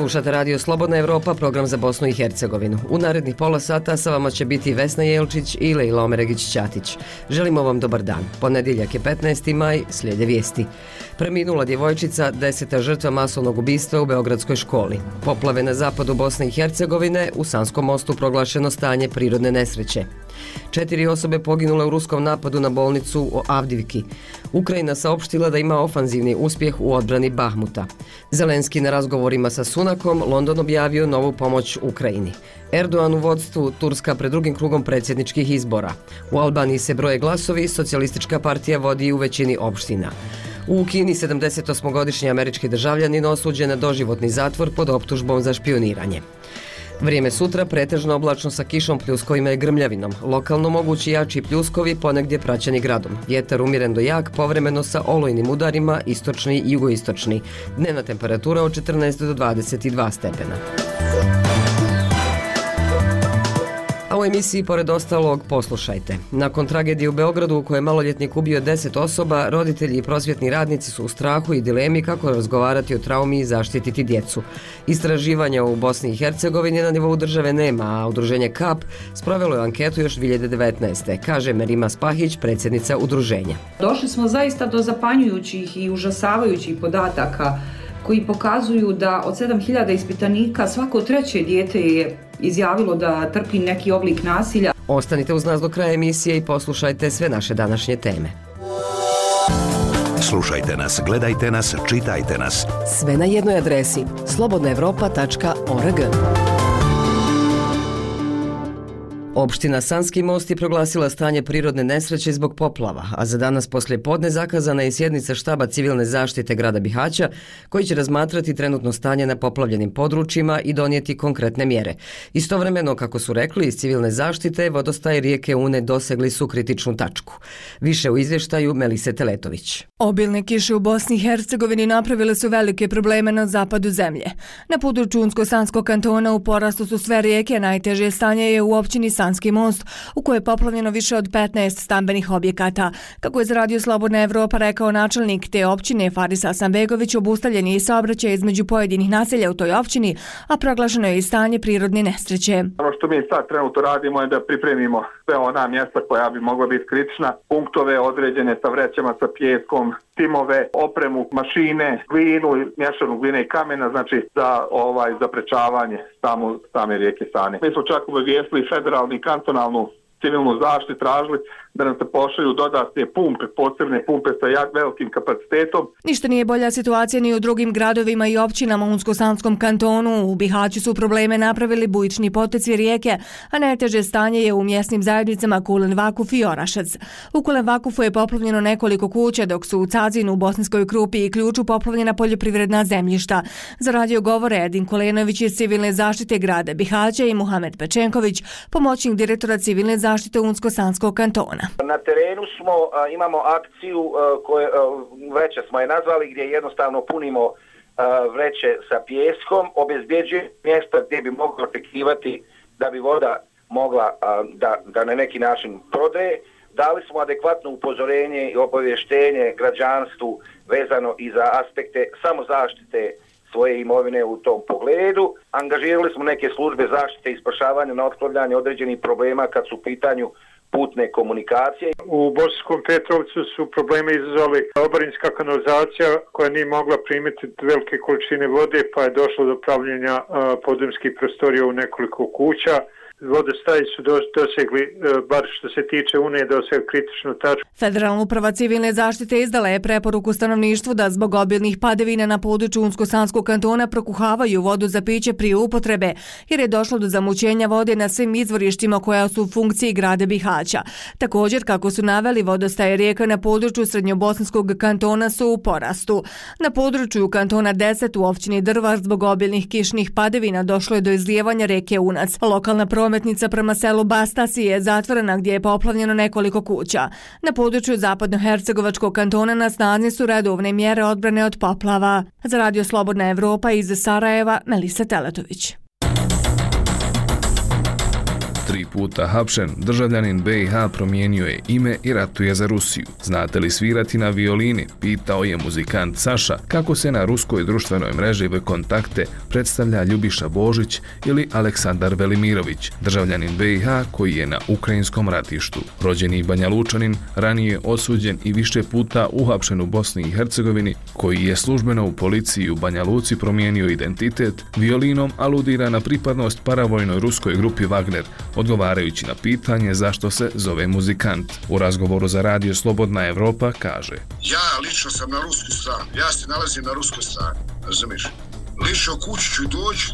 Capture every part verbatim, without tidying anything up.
Slušate Radio Slobodna Evropa, program za Bosnu i Hercegovinu. U narednih pola sata sa vama će biti Vesna Jelčić i Lejla Omeregić-Ćatić. Želimo vam dobar dan. Ponedjeljak je petnaesti maj, slijede vijesti. Preminula djevojčica, deseta žrtva masovnog ubistva u Beogradskoj školi. Poplave na zapadu Bosne i Hercegovine, u Sanskom mostu proglašeno stanje prirodne nesreće. Četiri osobe poginule u ruskom napadu na bolnicu u Avdivki. Ukrajina saopštila da ima ofanzivni uspjeh u odbrani Bahmuta. Zelenski na razgovorima sa Sunakom, London objavio novu pomoć Ukrajini. Erdogan u vodstvu, Turska pred drugim krugom predsjedničkih izbora. U Albaniji se broje glasovi, socijalistička partija vodi u većini opština. U Kini sedamdesetosmogodišnji američki državljanin osuđen na doživotni zatvor pod optužbom za špioniranje. Vrijeme sutra pretežno oblačno sa kišom, pljuskovima i grmljavinom. Lokalno mogući jači pljuskovi, ponegdje praćeni gradom. Vjetar umjeren do jak, povremeno sa olujnim udarima, istočni i jugoistočni. Dnevna temperatura od četrnaest do dvadeset dva stepena. A u emisiji pored ostalog poslušajte. Nakon tragedije u Beogradu u kojoj je maloljetnik ubio deset osoba, roditelji i prosvjetni radnici su u strahu i dilemi kako razgovarati o traumi i zaštititi djecu. Istraživanja u Bosni i Hercegovini na nivou države nema, a udruženje K A P sprovelo je anketu još dvije hiljade devetnaeste. kaže Merima Spahić, predsjednica udruženja. Došli smo zaista do zapanjujućih i užasavajućih podataka koji pokazuju da od sedam hiljada ispitanika svako treće dijete je izjavilo da trpi neki oblik nasilja. Ostanite uz nas do kraja emisije i poslušajte sve naše današnje teme. Slušajte nas, gledajte nas, čitajte nas. Sve na jednoj adresi slobodna evropa tačka org. Opština Sanski most je proglasila stanje prirodne nesreće zbog poplava, a za danas poslije podne zakazana je sjednica štaba civilne zaštite grada Bihaća, koji će razmatrati trenutno stanje na poplavljenim područjima i donijeti konkretne mjere. Istovremeno, kako su rekli iz civilne zaštite, vodostaj rijeke Une dosegli su kritičnu tačku. Više u izvještaju Melise Teletović. Obilne kiše u Bosni i Hercegovini napravile su velike probleme na zapadu zemlje. Na području Unsko-Sanskog kantona u porastu su sve rijeke, najteže stanje je u općini Sanski most, u kojoj je poplavljeno više od petnaest stambenih objekata. Kako je za Radio Slobodna Evropa rekao načelnik te općine Faris Hasanbegović, obustavljen je i saobraćaj između pojedinih naselja u toj općini, a proglašeno je i stanje prirodne nesreće. Ono što mi sad trenutno radimo je da pripremimo sve ona mjesta koja bi mogla biti kritična, punktove određene sa vrećama, sa pijeskom, timove, opremu, mašine, glinu, mješanu gline i kamena, znači za ovaj zaprečavanje samu, same rijeke Sane. Mi smo čak obavijestili federalnu i kantonalnu civilnu zaštitu, tražili da nam se pošalju dodatne pumpe, posebne pumpe sa jak velikim kapacitetom. Ništa nije bolja situacija ni u drugim gradovima i općinama u Unsko-Sanskom kantonu. U Bihaću su probleme napravili bujični poteci rijeke, a najteže stanje je u mjesnim zajednicama Kulen Vakuf i Orašac. U Kulen Vakufu je poplavljeno nekoliko kuća, dok su u Cazinu, u Bosanskoj Krupi i Ključu poplavljena poljoprivredna zemljišta. Za radio govore Edin Kolenović iz civilne zaštite grada Bihaća i Muhamed Pečenković, pomoćnik direktora civilne zaštite Unsko-Sanskog kantona. Na terenu smo, imamo akciju koje vreće smo je nazvali, gdje jednostavno punimo vreće sa pijeskom, obezbjeđuje mjesta gdje bi mogli očekivati da bi voda mogla da, da na neki način prodaje. Dali smo adekvatno upozorenje i obavještenje građanstvu vezano i za aspekte samozaštite svoje imovine u tom pogledu. Angažirali smo neke službe zaštite i spašavanja na otklanjanje određenih problema kad su u pitanju putne komunikacije. U Bosanskom Petrovcu su probleme izazvali oborinska kanalizacija koja nije mogla primiti velike količine vode, pa je došlo do pravljenja podzemskih prostorija u nekoliko kuća. Vodostaji su dosegli, bar što se tiče Une, dosegli kritičnu tačku. Federalna uprava civilne zaštite izdala je preporuku stanovništvu da zbog obilnih padavina na području Unsko-Sanskog kantona prokuhavaju vodu za piće prije upotrebe, jer je došlo do zamućenja vode na svim izvorištima koja su u funkciji grada Bihaća. Također, kako su naveli, vodostaje rijeka na području Srednjobosanskog kantona su u porastu. Na području kantona deset u općini Drvar zbog obilnih kišnih padavina došlo je do izlijevanja reke Unac. Lokalna prometnica prema selu Bastasi je zatvorena gdje je poplavljeno nekoliko kuća. Na području Zapadnohercegovačkog kantona na snazi su redovne mjere odbrane od poplava. Za Radio Slobodna Evropa iz Sarajeva, Melisa Teletović. Tri puta hapšen, državljanin B i H promijenio je ime i ratuje za Rusiju. Znate li svirati na violini? Pitao je muzikant Saša kako se na ruskoj društvenoj mreži VKontakte predstavlja Ljubiša Božić ili Aleksandar Velimirović, državljanin B i H koji je na ukrajinskom ratištu. Rođeni Banja Lučanin, ranije osuđen i više puta uhapšen u Bosni i Hercegovini, koji je službeno u policiji u Banja Luci promijenio identitet, violinom aludira na pripadnost paravojnoj ruskoj grupi Wagner, odgovarajući na pitanje zašto se zove muzikant. U razgovoru za radio Slobodna Evropa kaže: Ja lično sam na ruskoj strani, ja se nalazim na ruskoj strani, razumiješ? Lično kući ću doći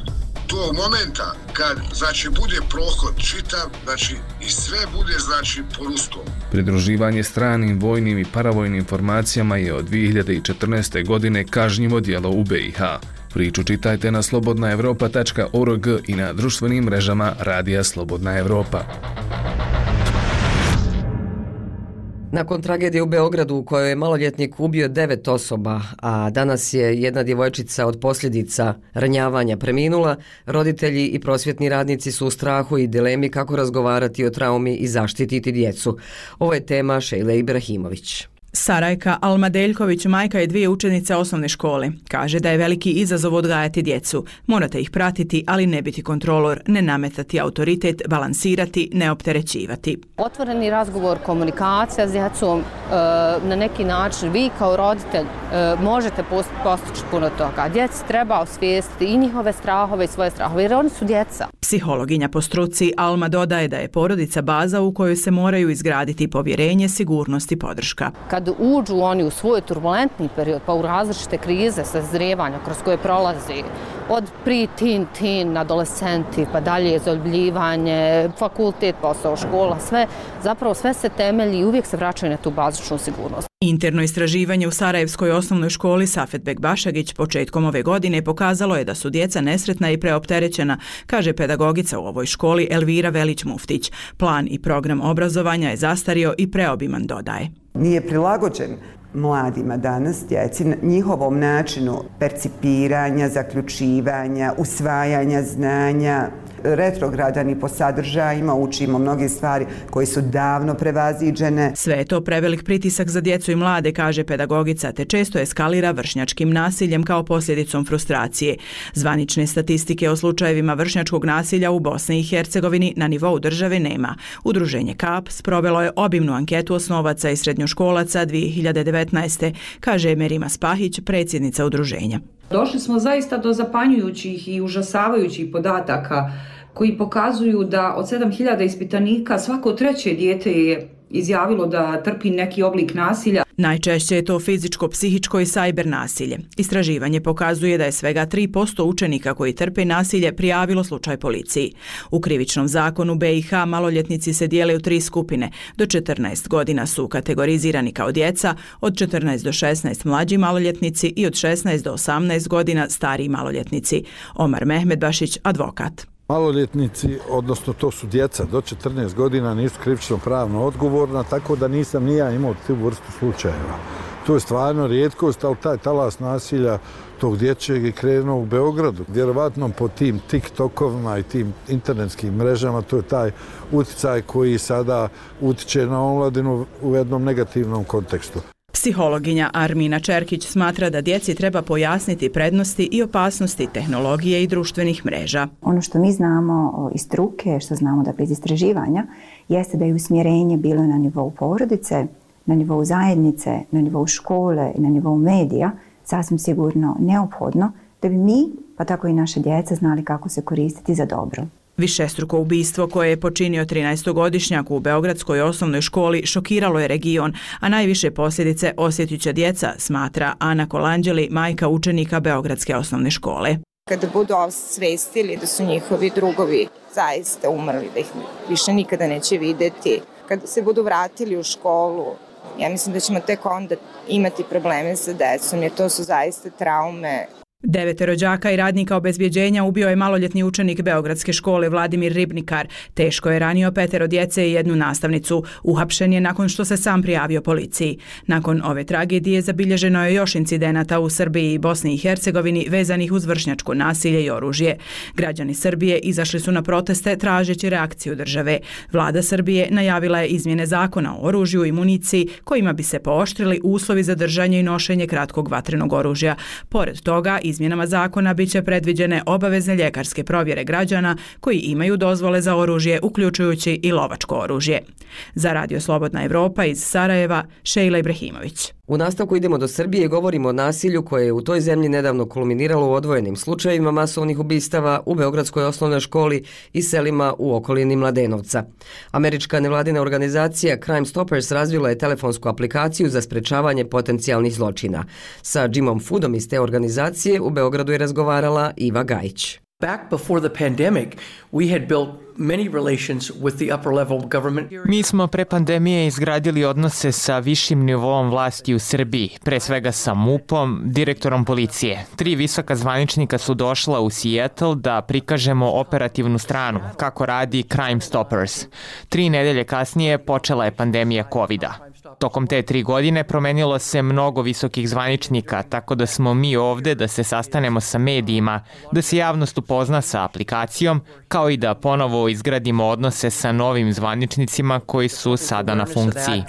do momenta kad, znači, bude prohod čitav, znači, i sve bude, znači, po ruskom. Pridruživanje stranim vojnim i paravojnim formacijama je od dvije hiljade četrnaeste. godine kažnjivo djelo u B i H. Priču čitajte na slobodna evropa tačka org i na društvenim mrežama Radija Slobodna Evropa. Nakon tragedije u Beogradu u kojoj je maloljetnik ubio devet osoba, a danas je jedna djevojčica od posljedica ranjavanja preminula, roditelji i prosvjetni radnici su u strahu i dilemi kako razgovarati o traumi i zaštititi djecu. Ovo je tema Šejle Ibrahimović. Sarajka Almadeljković, majka je dvije učenice osnovne škole. Kaže da je veliki izazov odgajati djecu. Morate ih pratiti, ali ne biti kontrolor, ne nametati autoritet, balansirati, ne opterećivati. Otvoreni razgovor, komunikacija s djecom, na neki način vi kao roditelj možete postići puno toga. Djeci treba osvijestiti i njihove strahove i svoje strahove, jer oni su djeca. Psihologinja po struci Alma dodaje da je porodica baza u kojoj se moraju izgraditi povjerenje, sigurnost i podrška. Kad uđu oni u svoj turbulentni period, pa u različite krize sazrijevanja kroz koje prolazi, od pre-teen, teen, adolescenti, pa dalje zaljubljivanje, fakultet, posao, škola, sve, zapravo sve se temelji i uvijek se vraćaju na tu bazičnu sigurnost. Interno istraživanje u Sarajevskoj osnovnoj školi Safet Bekbašagić početkom ove godine pokazalo je da su djeca nesretna i preopterećena, kaže pedagogica u ovoj školi Elvira Velić-Muftić. Plan i program obrazovanja je zastario i preobiman, dodaje. Nije prilagođen mladima danas, djeci, njihovom načinu percipiranja, zaključivanja, usvajanja znanja, retrogradan i po sadržajima, učimo mnoge stvari koje su davno prevaziđene. Sve je to prevelik pritisak za djecu i mlade, kaže pedagogica, te često eskalira vršnjačkim nasiljem kao posljedicom frustracije. Zvanične statistike o slučajevima vršnjačkog nasilja u Bosni i Hercegovini na nivou države nema. Udruženje Kap sprovelo je obimnu anketu osnovaca i srednjoškolaca dvije hiljade devetnaeste. kaže Merima Spahić, predsjednica udruženja. Došli smo zaista do zapanjujućih i užasavajućih podataka koji pokazuju da od sedam hiljada ispitanika svako treće dijete je izjavilo da trpi neki oblik nasilja. Najčešće je to fizičko, psihičko i sajber nasilje. Istraživanje pokazuje da je svega tri posto učenika koji trpe nasilje prijavilo slučaj policiji. U krivičnom zakonu B i H maloljetnici se dijele u tri skupine. Do četrnaest godina su kategorizirani kao djeca, od četrnaest do šesnaest mlađi maloljetnici i od šesnaest do osamnaest godina stariji maloljetnici. Omar Mehmedbašić, advokat. Maloljetnici, odnosno to su djeca do četrnaest godina, nisu krivično pravno odgovorna, tako da nisam ni ja imao tu vrstu slučajeva. To je stvarno rijetkost, ali taj talas nasilja tog dječjeg je krenuo u Beogradu. Vjerovatno po tim TikTokovima i tim internetskim mrežama, to je taj utjecaj koji sada utiče na omladinu u jednom negativnom kontekstu. Psihologinja Armina Čerkić smatra da djeci treba pojasniti prednosti i opasnosti tehnologije i društvenih mreža. Ono što mi znamo iz struke, što znamo da bez istraživanja, jeste da je usmjerenje bilo na nivou porodice, na nivou zajednice, na nivou škole i na nivou medija sasvim sigurno neophodno da bi mi, pa tako i naše djeca, znali kako se koristiti za dobro. Višestruko ubistvo koje je počinio trinaestogodišnjak u Beogradskoj osnovnoj školi šokiralo je region, a najviše posljedice osjetit će djeca, smatra Ana Kolanđeli, majka učenika Beogradske osnovne škole. Kada budu osvestili da su njihovi drugovi zaista umrli, da ih više nikada neće vidjeti, kada se budu vratili u školu, ja mislim da ćemo tek onda imati probleme sa decom, jer to su zaista traume. Devetero đaka i radnika obezbjeđenja ubio je maloljetni učenik Beogradske škole Vladimir Ribnikar. Teško je ranio petero djece i jednu nastavnicu. Uhapšen je nakon što se sam prijavio policiji. Nakon ove tragedije zabilježeno je još incidenata u Srbiji i Bosni i Hercegovini vezanih uz vršnjačko nasilje i oružje. Građani Srbije izašli su na proteste tražeći reakciju države. Vlada Srbije najavila je izmjene zakona o oružju i municiji kojima bi se pooštrili uslovi za držanje i nošenje kratkog vatrenog oružja. Pored toga, izmjenama zakona biće predviđene obavezne ljekarske provjere građana koji imaju dozvole za oružje, uključujući i lovačko oružje. Za Radio Slobodna Evropa iz Sarajeva, Šejla Ibrahimović. U nastavku idemo do Srbije i govorimo o nasilju koje je u toj zemlji nedavno kulminiralo u odvojenim slučajevima masovnih ubistava u Beogradskoj osnovnoj školi i selima u okolini Mladenovca. Američka nevladina organizacija Crime Stoppers razvila je telefonsku aplikaciju za sprečavanje potencijalnih zločina. Sa Jimom Foodom iz te organizacije u Beogradu je razgovarala Iva Gajić. Back before the pandemic, we had built many relations with the upper level government. Mi smo pre pandemije izgradili odnose sa višim nivoom vlasti u Srbiji, pre svega sa MUP-om, direktorom policije. Tri visoka zvaničnika su došla u Seattle da prikažemo operativnu stranu, kako radi Crime Stoppers. Tri nedelje kasnije počela je pandemija kovida. Tokom te tri godine promenilo se mnogo visokih zvaničnika, tako da smo mi ovde da se sastanemo sa medijima, da se javnost upozna sa aplikacijom, kao i da ponovo izgradimo odnose sa novim zvaničnicima koji su sada na funkciji.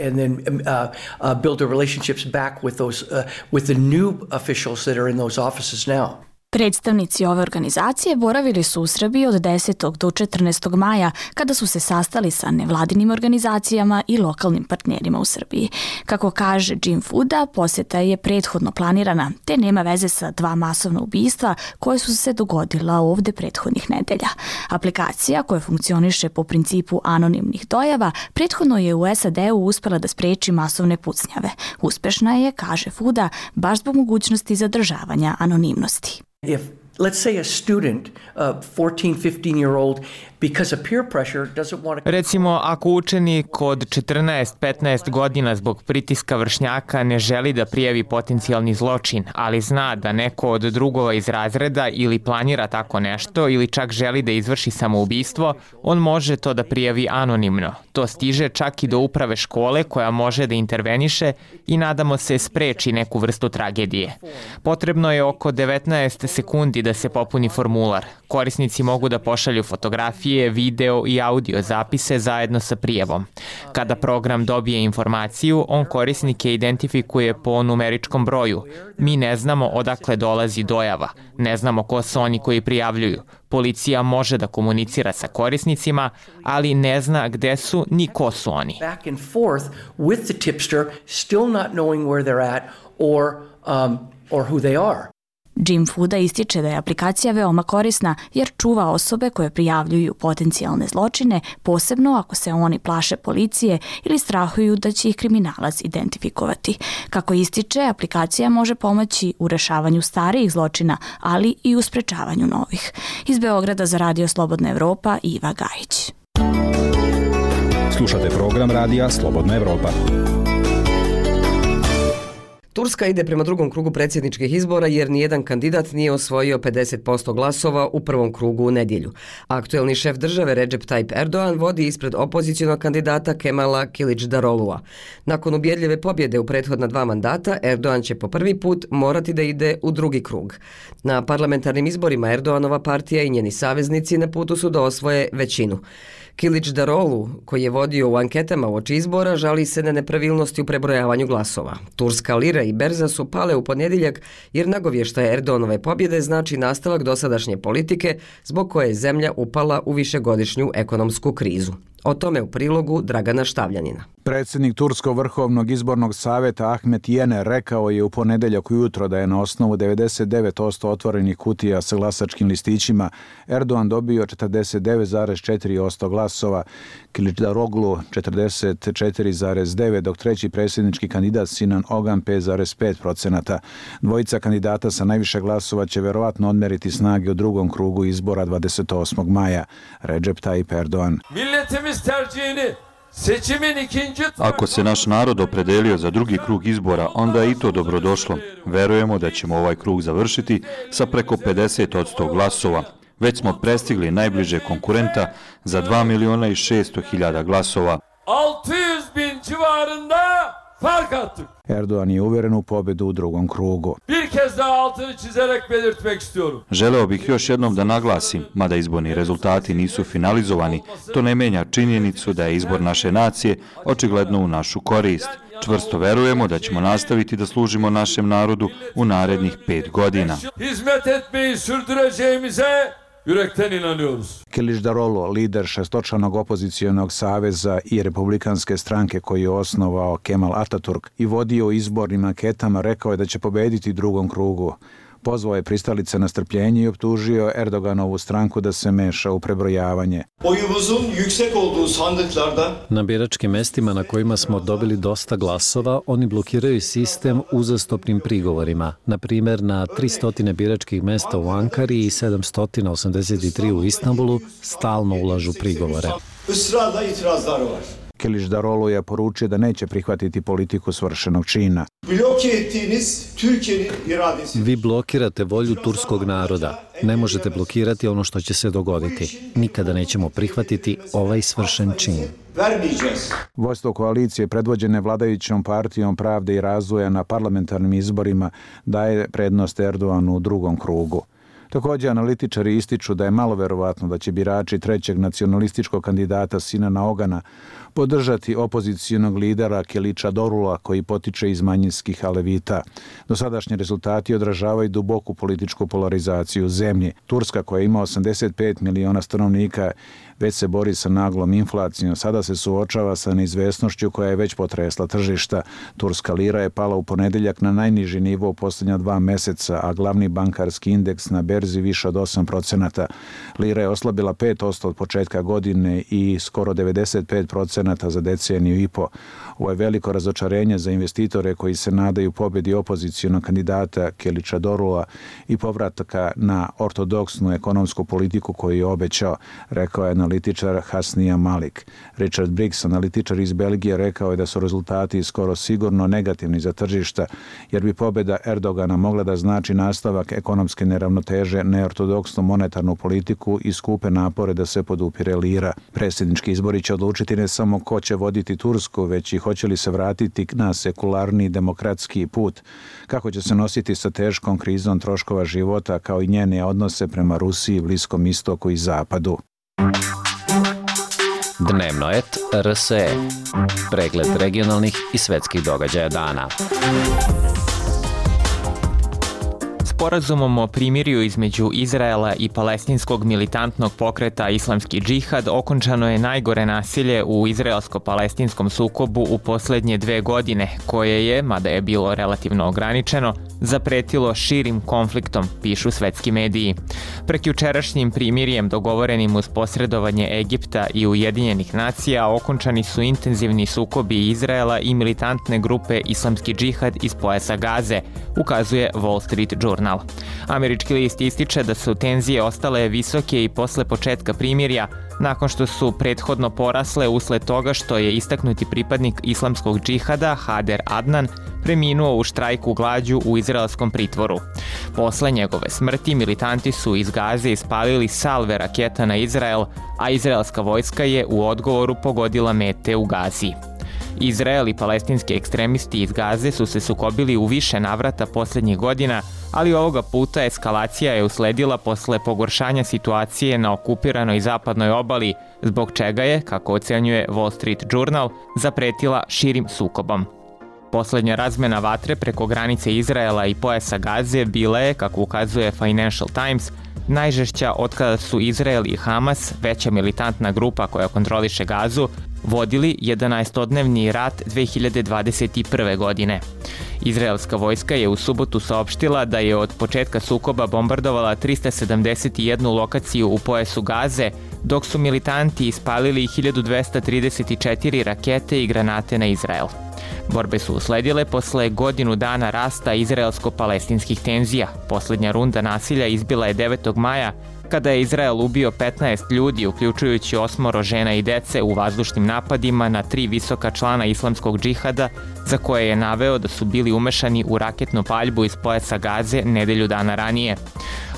Predstavnici ove organizacije boravili su u Srbiji od desetog do četrnaestog maja kada su se sastali sa nevladinim organizacijama i lokalnim partnerima u Srbiji. Kako kaže Jim Fooda, posjeta je prethodno planirana, te nema veze sa dva masovna ubistva koje su se dogodila ovde prethodnih nedelja. Aplikacija koja funkcioniše po principu anonimnih dojava prethodno je u S A D-u uspela da spreči masovne pucnjave. Uspešna je, kaže Fooda, baš zbog mogućnosti zadržavanja anonimnosti. If, let's say, a student, a fourteen, fifteen year old, because of peer pressure doesn't want to... Recimo, ako učenik od četrnaest petnaest godina zbog pritiska vršnjaka ne želi da prijavi potencijalni zločin, ali zna da neko od drugova iz razreda ili planira tako nešto ili čak želi da izvrši samoubistvo, on može to da prijavi anonimno. To stiže čak i do uprave škole koja može da interveniše i nadamo se spreči neku vrstu tragedije. Potrebno je oko devetnaest sekundi da se popuni formular. Korisnici mogu da pošalju fotografije, video i audio zapise zajedno sa prijavom. Kada program dobije informaciju, on korisnike identifikuje po numeričkom broju. Mi ne znamo odakle dolazi dojava, ne znamo ko su oni koji prijavljuju. Policija može da komunicira sa korisnicima, ali ne zna gde su ni ko su oni. Back and forth with the tipster, still not knowing where they're at or um, or who they are. Jim Fooda ističe da je aplikacija veoma korisna jer čuva osobe koje prijavljuju potencijalne zločine, posebno ako se oni plaše policije ili strahuju da će ih kriminalac identifikovati. Kako ističe, aplikacija može pomoći u rešavanju starijih zločina, ali i u sprečavanju novih. Iz Beograda za Radio Slobodna Evropa, Iva Gajić. Slušate program radija Slobodna Evropa. Turska ide prema drugom krugu predsjedničkih izbora jer nijedan kandidat nije osvojio pedeset posto glasova u prvom krugu u nedjelju. Aktuelni šef države Recep Tayyip Erdogan vodi ispred opozicionog kandidata Kemala Kılıçdaroğlu'a. Nakon ubjedljive pobjede u prethodna dva mandata, Erdogan će po prvi put morati da ide u drugi krug. Na parlamentarnim izborima Erdoganova partija i njeni saveznici na putu su da osvoje većinu. Kılıçdaroğlu, koji je vodio u anketama uoči izbora, žali se na nepravilnosti u prebrojavanju glasova. Turska lira i berza su pale u ponedjeljak jer nagovještaj Erdoganove pobjede znači nastavak dosadašnje politike zbog koje je zemlja upala u višegodišnju ekonomsku krizu. O tome u prilogu Dragana Štavljanina. Predsjednik Turskog vrhovnog izbornog savjeta Ahmet Yener rekao je u ponedjeljak ujutro da je na osnovu devedeset devet posto otvorenih kutija sa glasačkim listićima Erdogan dobio četrdeset devet zarez četiri posto glasova, Kılıçdaroğlu četrdeset četiri zarez devet, dok treći predsjednički kandidat Sinan Ogan pet zarez pet procenata. Dvojica kandidata sa najviše glasova će verovatno odmeriti snage u drugom krugu izbora dvadeset osmog maja. Recep Tayyip Erdogan. Milletimiz tercihini Ako se naš narod opredelio za drugi krug izbora, onda je i to dobrodošlo. Verujemo da ćemo ovaj krug završiti sa preko pedeset posto glasova. Već smo prestigli najbliže konkurenta za dva miliona i šesto hiljada glasova. altı yüz bin civarında fark attık. Erdoğan je uveren u pobedu u drugom krugu. Bir kez daha altını çizerek belirtmek istiyorum. Želeo bih još jednom da naglasim, mada izborni rezultati nisu finalizovani, to ne menja činjenicu da je izbor naše nacije očigledno u našu korist. Čvrsto verujemo da ćemo nastaviti da služimo našem narodu u narednih pet godina. Hizmet etmeyi sürdüreceğimize yürekten inanıyoruz. Kiliçdaroglu, lider šestočlanog opozicijonog saveza i republikanske stranke koji je osnovao Kemal Ataturk i vodio izbornim anketama, rekao je da će pobediti u drugom krugu. Pozvao je pristalice na strpljenje i optužio Erdoganovu stranku da se meša u prebrojavanje. Na biračkim mestima na kojima smo dobili dosta glasova, oni blokiraju sistem uzastopnim prigovorima. Na primjer, na tristo biračkih mesta u Ankari i sedamsto osamdeset tri u Istanbulu stalno ulažu prigovore. Kiliçdaroglu je poručio da neće prihvatiti politiku svršenog čina. Vi blokirate volju turskog naroda. Ne možete blokirati ono što će se dogoditi. Nikada nećemo prihvatiti ovaj svršen čin. Vodstvo koalicije predvođene vladajućom partijom Pravde i razvoja na parlamentarnim izborima daje prednost Erdoğanu u drugom krugu. Također, analitičari ističu da je malo verovatno da će birači trećeg nacionalističkog kandidata Sinana Ogana podržati opozicijonog lidera Kiliçdarogla koji potiče iz manjinskih Alevita. Dosadašnji rezultati odražavaju duboku političku polarizaciju zemlje. Turska, koja ima osamdeset pet miliona stanovnika, već se bori sa naglom inflacijom. Sada se suočava sa neizvesnošću koja je već potresla tržišta. Turska lira je pala u ponedeljak na najniži nivo u posljednja dva meseca, a glavni bankarski indeks na berzi više od osam procenata. Lira je oslabila pet posto od početka godine i skoro devedeset pet procenata za deceniju i po. Ovo je veliko razočarenje za investitore koji se nadaju pobjedi opozicijonog kandidata Kiliçdarogla i povratka na ortodoksnu ekonomsku politiku koju je obećao, rekao je analitičar Hasnija Malik. Richard Briggs, analitičar iz Belgije, rekao je da su rezultati skoro sigurno negativni za tržišta, jer bi pobjeda Erdogana mogla da znači nastavak ekonomske neravnoteže, neortodoksnu monetarnu politiku i skupe napore da se podupire lira. Predsjednički izbori će odlučiti ne samo ko će voditi Tursku, već i hoće li se vratiti na sekularni demokratski put, kako će se nositi sa teškom krizom troškova života, kao i njene odnose prema Rusiji, Bliskom istoku i Zapadu. Dnevno et R S E. Pregled regionalnih i svetskih događaja dana. Sporazumom o primirju između Izraela i palestinskog militantnog pokreta Islamski džihad okončano je najgore nasilje u izraelsko-palestinskom sukobu u posljednje dve godine, koje je, mada je bilo relativno ograničeno, zapretilo širim konfliktom, pišu svetski mediji. Prekjučerašnjim primirjem dogovorenim uz posredovanje Egipta i Ujedinjenih nacija okončani su intenzivni sukobi Izraela i militantne grupe Islamski džihad iz pojasa Gaze, ukazuje Wall Street Journal. Američki list ističe da su tenzije ostale visoke i posle početka primirja, nakon što su prethodno porasle usled toga što je istaknuti pripadnik islamskog džihada Hader Adnan preminuo u štrajku glađu u izraelskom pritvoru. Posle njegove smrti militanti su iz Gaze ispalili salve raketa na Izrael, a izraelska vojska je u odgovoru pogodila mete u Gazi. Izrael i palestinski ekstremisti iz Gaze su se sukobili u više navrata posljednjih godina, ali ovoga puta eskalacija je usledila posle pogoršanja situacije na okupiranoj zapadnoj obali, zbog čega je, kako ocenjuje Wall Street Journal, zapretila širim sukobom. Poslednja razmena vatre preko granice Izraela i pojasa Gaze bila je, kako ukazuje Financial Times, najžešća otkada su Izrael i Hamas, veća militantna grupa koja kontroliše Gazu, vodili jedanaestodnevni rat dve hiljade dvadeset prve. godine. Izraelska vojska je u subotu saopštila da je od početka sukoba bombardovala trista sedamdeset jednu lokaciju u pojasu Gaze, dok su militanti ispalili hiljadu dvesta trideset četiri rakete i granate na Izrael. Borbe su usledile posle godinu dana rasta izraelsko-palestinskih tenzija. Poslednja runda nasilja izbila je devetog maja, kada je Izrael ubio petnaest ljudi, uključujući osmoro žena i dece u vazdušnim napadima na tri visoka člana islamskog džihada, za koje je naveo da su bili umešani u raketnu paljbu iz pojasa Gaze nedelju dana ranije.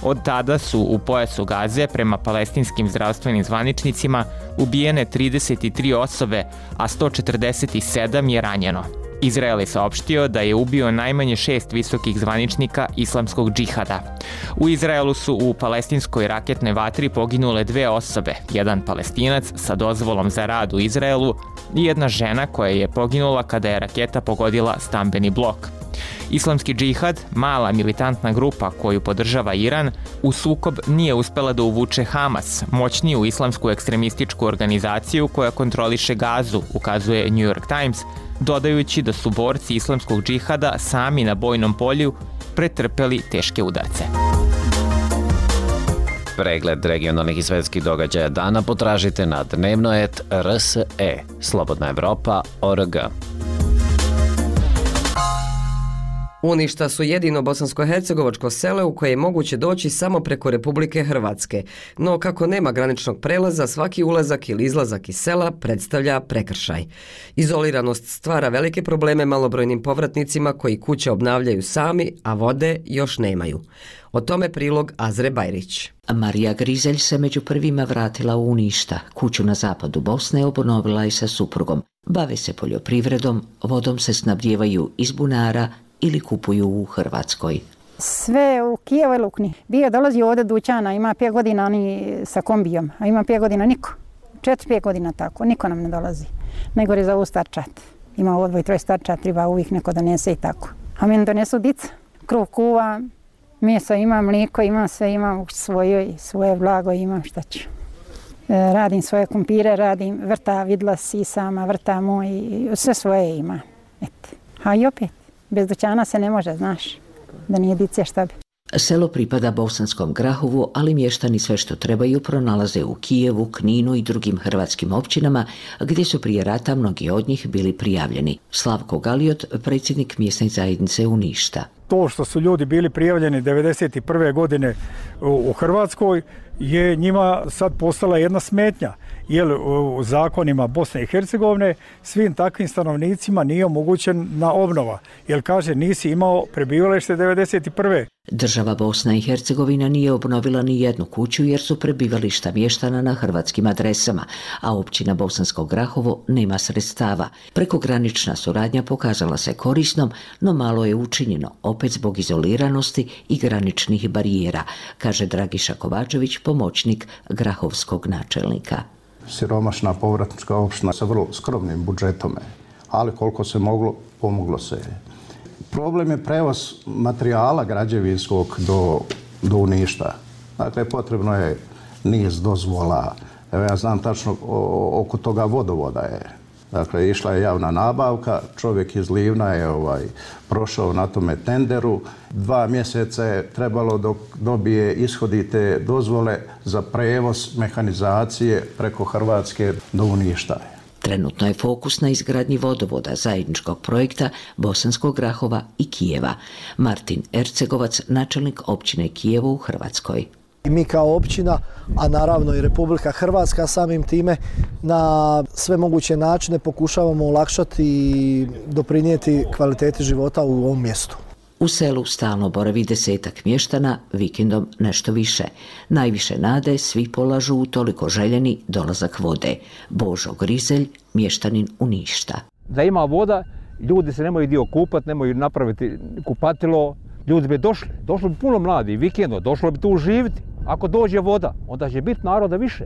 Od tada su u pojasu Gaze, prema palestinskim zdravstvenim zvaničnicima, ubijene trideset tri osobe, a sto četrdeset sedam je ranjeno. Izrael je saopštio da je ubio najmanje šest visokih zvaničnika islamskog džihada. U Izraelu su u palestinskoj raketnoj vatri poginule dve osobe, jedan Palestinac sa dozvolom za rad u Izraelu i jedna žena koja je poginula kada je raketa pogodila stambeni blok. Islamski džihad, mala militantna grupa koju podržava Iran, u sukob nije uspela da uvuče Hamas, moćniju islamsku ekstremističku organizaciju koja kontroliše Gazu, ukazuje New York Times, dodajući da su borci islamskog džihada sami na bojnom polju pretrpeli teške udarce. Pregled regionalnih i svetskih događaja dana potražite na dnevnoet R S E, Slobodna Evropa, O R G. Uništa su jedino bosansko-hercegovačko selo u koje je moguće doći samo preko Republike Hrvatske, no kako nema graničnog prelaza, svaki ulazak ili izlazak iz sela predstavlja prekršaj. Izoliranost stvara velike probleme malobrojnim povratnicima koji kuće obnavljaju sami, a vode još nemaju. O tome prilog Azre Bajrić. Marija Grizelj se među prvima vratila u Uništa. Kuću na zapadu Bosne obnovila i sa suprugom. Bave se poljoprivredom, vodom se snabdijevaju iz bunara ili kupuju u Hrvatskoj. Sve u Kijevu i Lukni. Bio dolazi ovdje dućana, ima pet godina oni sa kombijom, a ima pet godina niko. Četiri, pet godina tako, niko nam ne dolazi. Najgore za ovu starčat. Ima odvoj, troj starčat, treba uvijek neko donese i tako. A meni donesu dica, kruh kuva, meso imam, mlijeko imam, sve imam u svojoj, svoje blago imam, šta ću. E, radim svoje kumpire, radim vrta, vidla sisama, vrta moj, sve svoje ima. Eto. A i opet. Bez dućana se ne može, znaš, da nije dice šta bi. Selo pripada Bosanskom Grahovu, ali mještani sve što trebaju pronalaze u Kijevu, Kninu i drugim hrvatskim općinama, gdje su prije rata mnogi od njih bili prijavljeni. Slavko Galiot, predsjednik mjesne zajednice Uništa. To što su ljudi bili prijavljeni devedeset prve godine u Hrvatskoj je njima sad postala jedna smetnja. Jer u zakonima Bosne i Hercegovine svim takvim stanovnicima nije omogućena obnova. Jer kaže nisi imao prebivalište devedeset prve. Država Bosna i Hercegovina nije obnovila ni jednu kuću jer su prebivališta mještana na hrvatskim adresama, a općina Bosansko Grahovo nema sredstava. Prekogranična suradnja pokazala se korisnom, no malo je učinjeno, opet zbog izoliranosti i graničnih barijera, kaže Dragiša Kovačević, pomoćnik grahovskog načelnika. Siromašna povratnička opština sa vrlo skromnim budžetom, ali koliko se moglo, pomoglo se. Problem je prevoz materijala građevinskog do, do Uništa. Dakle, potrebno je niz dozvola. Evo, ja znam tačno o, oko toga vodovoda je. Dakle, išla je javna nabavka, čovjek iz Livna je ovaj, prošao na tome tenderu. Dva mjeseca je trebalo dok dobije ishodite dozvole za prevoz mehanizacije preko Hrvatske do Uništa. Trenutno je fokus na izgradnji vodovoda zajedničkog projekta Bosanskog Grahova i Kijeva. Martin Ercegovac, načelnik općine Kijevo u Hrvatskoj. I mi kao općina, a naravno i Republika Hrvatska samim time na sve moguće načine pokušavamo olakšati i doprinijeti kvaliteti života u ovom mjestu. U selu stalno boravi desetak mještana, vikendom nešto više. Najviše nade svi polažu u toliko željeni dolazak vode. Božo Grizelj, mještanin Uništa. Da ima voda, ljudi se nemaju dio kupati, nemaju napraviti kupatilo, ljudi bi došli, došlo bi puno mladi, vikendom, došlo bi tu živjeti. Ako dođe voda, onda će biti naroda više.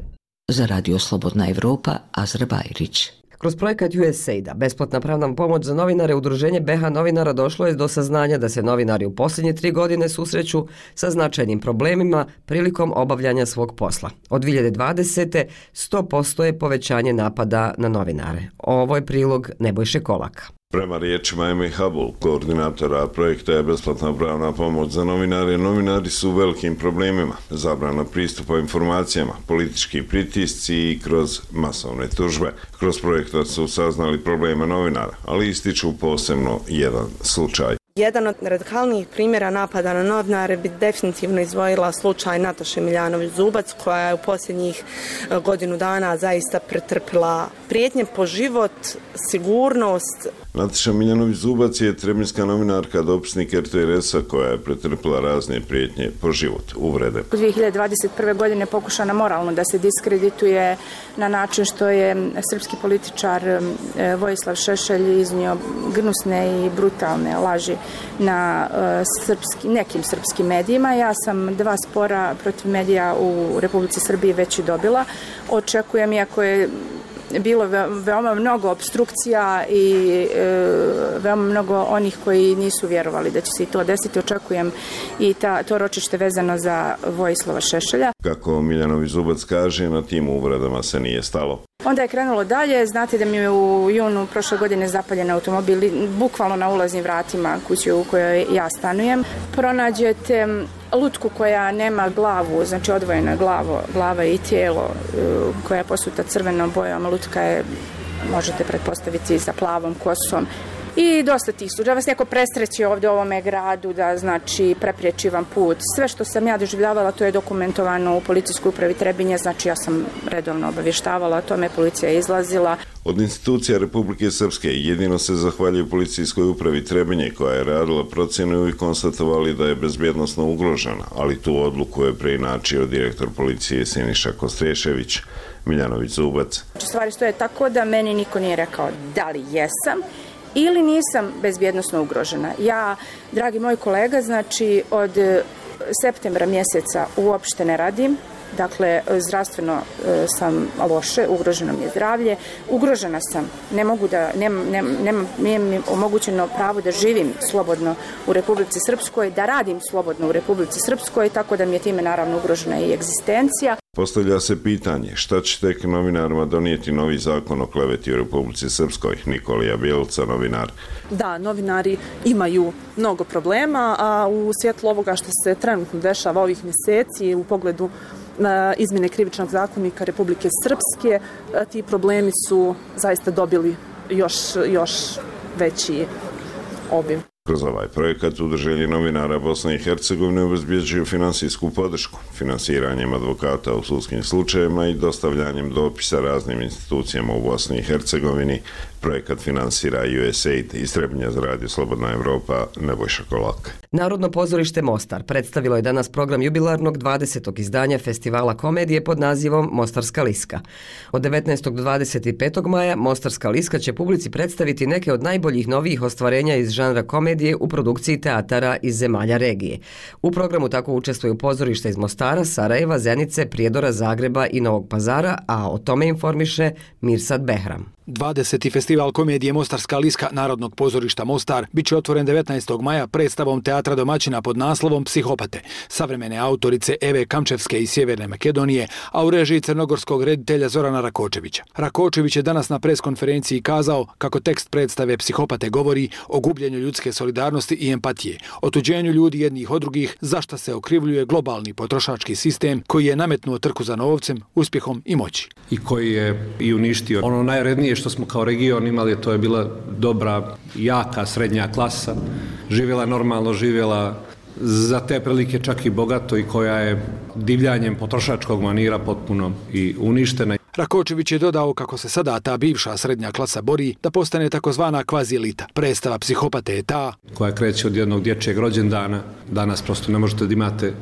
Za Radio Slobodna Evropa, Azra Bajrić. Kroz projekat U S A I D-a, besplatna pravna pomoć za novinare, Udruženje B H novinara došlo je do saznanja da se novinari u posljednje tri godine susreću sa značajnim problemima prilikom obavljanja svog posla. Od dvije hiljade dvadesete. sto posto je povećanje napada na novinare. Ovo je prilog Nebojše Kolaka. Prema riječima Eme Habul, koordinatora projekta je besplatna pravna pomoć za novinare, novinari su u velikim problemima, zabrana pristupa informacijama, politički pritisci i kroz masovne tužbe. Kroz projekta su saznali probleme novinara, ali ističu posebno jedan slučaj. Jedan od radikalnijih primjera napada na novinare bi definitivno izdvojila slučaj Nataše Miljanović-Zubac, koja je u posljednjih godinu dana zaista pretrpila prijetnje po život, sigurnost. Nataša Miljanović-Zubac je trebinjska novinarka, dopisnik er te er esa koja je pretrpila razne prijetnje po život, uvrede. U dvije hiljade dvadeset prve. godine pokušana moralno da se diskredituje na način što je srpski političar Vojislav Šešelj iznio gnusne i brutalne laži na srpski, nekim srpskim medijima. Ja sam dva spora protiv medija u Republici Srbiji već i dobila. Očekujem, iako je bilo veoma mnogo obstrukcija i e, veoma mnogo onih koji nisu vjerovali da će se i to desiti, očekujem i ta, to ročište vezano za Vojislava Šešelja. Kako Miljanović-Zubac kaže, na tim uvredama se nije stalo. Onda je krenulo dalje, znate da mi je u junu prošle godine zapaljen automobil, bukvalno na ulaznim vratima kuće u kojoj ja stanujem. Pronađete lutku koja nema glavu, znači odvojena glavo, glava i tijelo, koja je posuta crvenom bojom, lutka je, možete pretpostaviti, sa plavom kosom. I dosta tih slučaja. Vas neko presreći ovdje u ovome gradu da, znači, prepriječi vam put. Sve što sam ja doživljavala, to je dokumentovano u policijskoj upravi Trebinje, znači ja sam redovno obavještavala o tome, policija je izlazila. Od institucija Republike Srpske jedino se zahvaljuju policijskoj upravi Trebinje, koja je radila procjenu i konstatovali da je bezbjednosno ugrožena, ali tu odluku je preinačio direktor policije Siniša Kostrešević. Miljanović-Zubac. Stvari stoje tako da meni niko nije rekao da li jesam ili nisam bezbjednosno ugrožena. Ja, dragi moj kolega, znači od septembra mjeseca uopšte ne radim. Dakle, zdravstveno e, sam loše, ugroženo mi je zdravlje, ugrožena sam, ne mogu da, nemam, nemam, nije mi omogućeno pravo da živim slobodno u Republici Srpskoj, da radim slobodno u Republici Srpskoj, tako da mi je time naravno ugrožena i egzistencija. Postavlja se pitanje šta će tek novinarima donijeti novi zakon o kleveti u Republici Srpskoj. Nikolija Bjelica, novinar. Da, novinari imaju mnogo problema, a u svjetlu ovoga što se trenutno dešava ovih mjeseci u pogledu na izmjene krivičnog zakonika Republike Srpske, ti problemi su zaista dobili još, još veći obim. Kroz ovaj projekat Udruženje novinara Bosne i Hercegovine obezbjeđuju finansijsku podršku, finansiranjem advokata u sudskim slučajevima i dostavljanjem dopisa raznim institucijama u Bosni i Hercegovini. Projekat finansira U S A I D iz Trebinja za radio Slobodna Evropa, Nebojša Kolak. Narodno pozorište Mostar predstavilo je danas program jubilarnog dvadesetog izdanja festivala komedije pod nazivom Mostarska liska. Od devetnaestog do dvadeset petog maja Mostarska liska će publici predstaviti neke od najboljih novijih ostvarenja iz žanra komedije u produkciji teatara iz zemalja regije. U programu tako učestvuju pozorišta iz Mostara, Sarajeva, Zenice, Prijedora, Zagreba i Novog Pazara, a o tome informiše Mirsad Behram. dvadeseti festival komedije Mostarska liska Narodnog pozorišta Mostar bit će otvoren devetnaestog maja predstavom teatra domaćina pod naslovom Psihopate, savremene autorice Eve Kamčevske iz Sjeverne Makedonije, a u režiji crnogorskog reditelja Zorana Rakočevića. Rakočević je danas na preskonferenciji kazao kako tekst predstave Psihopate govori o gubljenju ljudske solidarnosti i empatije, otuđenju ljudi jednih od drugih, zašto se okrivljuje globalni potrošački sistem koji je nametnuo trku za novcem, uspjehom i moći. I koji je i uništio ono najrednije što smo kao region imali, to je bila dobra, jaka srednja klasa, živjela normalno, živjela za te prilike čak i bogato i koja je divljanjem potrošačkog manira potpuno i uništena. Rakočević je dodao kako se sada ta bivša srednja klasa bori da postane takozvana kvazi elita. Predstava Psihopate je ta koja kreće od jednog dječjeg rođendana. Danas prosto ne možete da imate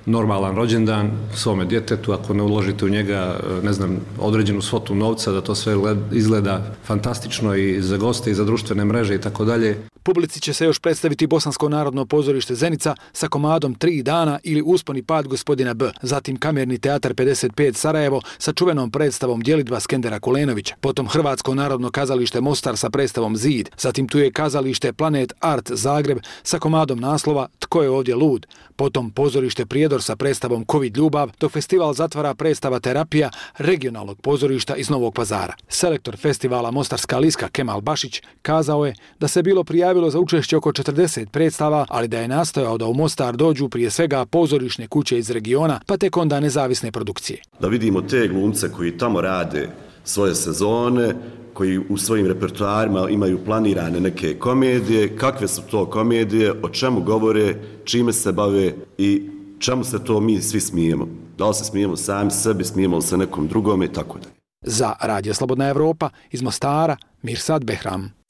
normalan rođendan svome djetetu ako ne uložite u njega, ne znam, određenu svotu novca, da to sve izgleda fantastično i za goste i za društvene mreže i tako dalje. Publici će se još predstaviti Bosansko narodno pozorište Zenica sa komadom Tri dana ili Uspon i pad gospodina B. Zatim Kamerni teatar pedeset pet Sarajevo sa čuvenom predstavom Djelidba Skendera Kulenovića. Potom Hrvatsko narodno kazalište Mostar sa predstavom Zid. Zatim tu je kazalište Planet Art Zagreb sa komadom naslova Tko je ovdje lud. Potom pozorište Prijedor sa predstavom Covid ljubav, dok festival zatvara predstava Terapija regionalnog pozorišta iz Novog Pazara. Selektor festivala Mostarska liska Kemal Bašić kazao je da se bilo prijavilo za učešće oko četrdeset predstava, ali da je nastojao da u Mostar dođu prije svega pozorišne kuće iz regiona, pa tek onda nezavisne produkcije. Da vidimo te glumce koji tamo rade svoje sezone, koji u svojim repertoarima imaju planirane neke komedije, kakve su to komedije, o čemu govore, čime se bave i čemu se to mi svi smijemo. Da li se smijemo sami sebi, smijemo li se nekom drugome i tako da. Za Radio Slobodna Evropa iz Mostara, Mirsad Behram.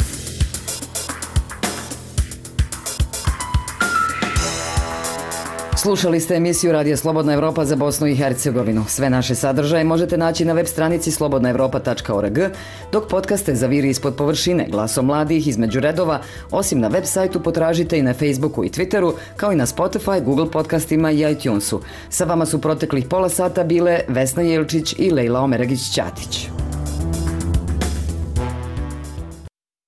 Slušali ste emisiju Radio Slobodna Evropa za Bosnu i Hercegovinu. Sve naše sadržaje možete naći na web stranici slobodna evropa tačka org, dok podcaste za Viri ispod površine, Glasom mladih između redova, osim na web sajtu potražite i na Facebooku i Twitteru, kao i na Spotify, Google podcastima i iTunesu. Sa vama su proteklih pola sata bile Vesna Jelčić i Lejla Omeregić-Ćatić.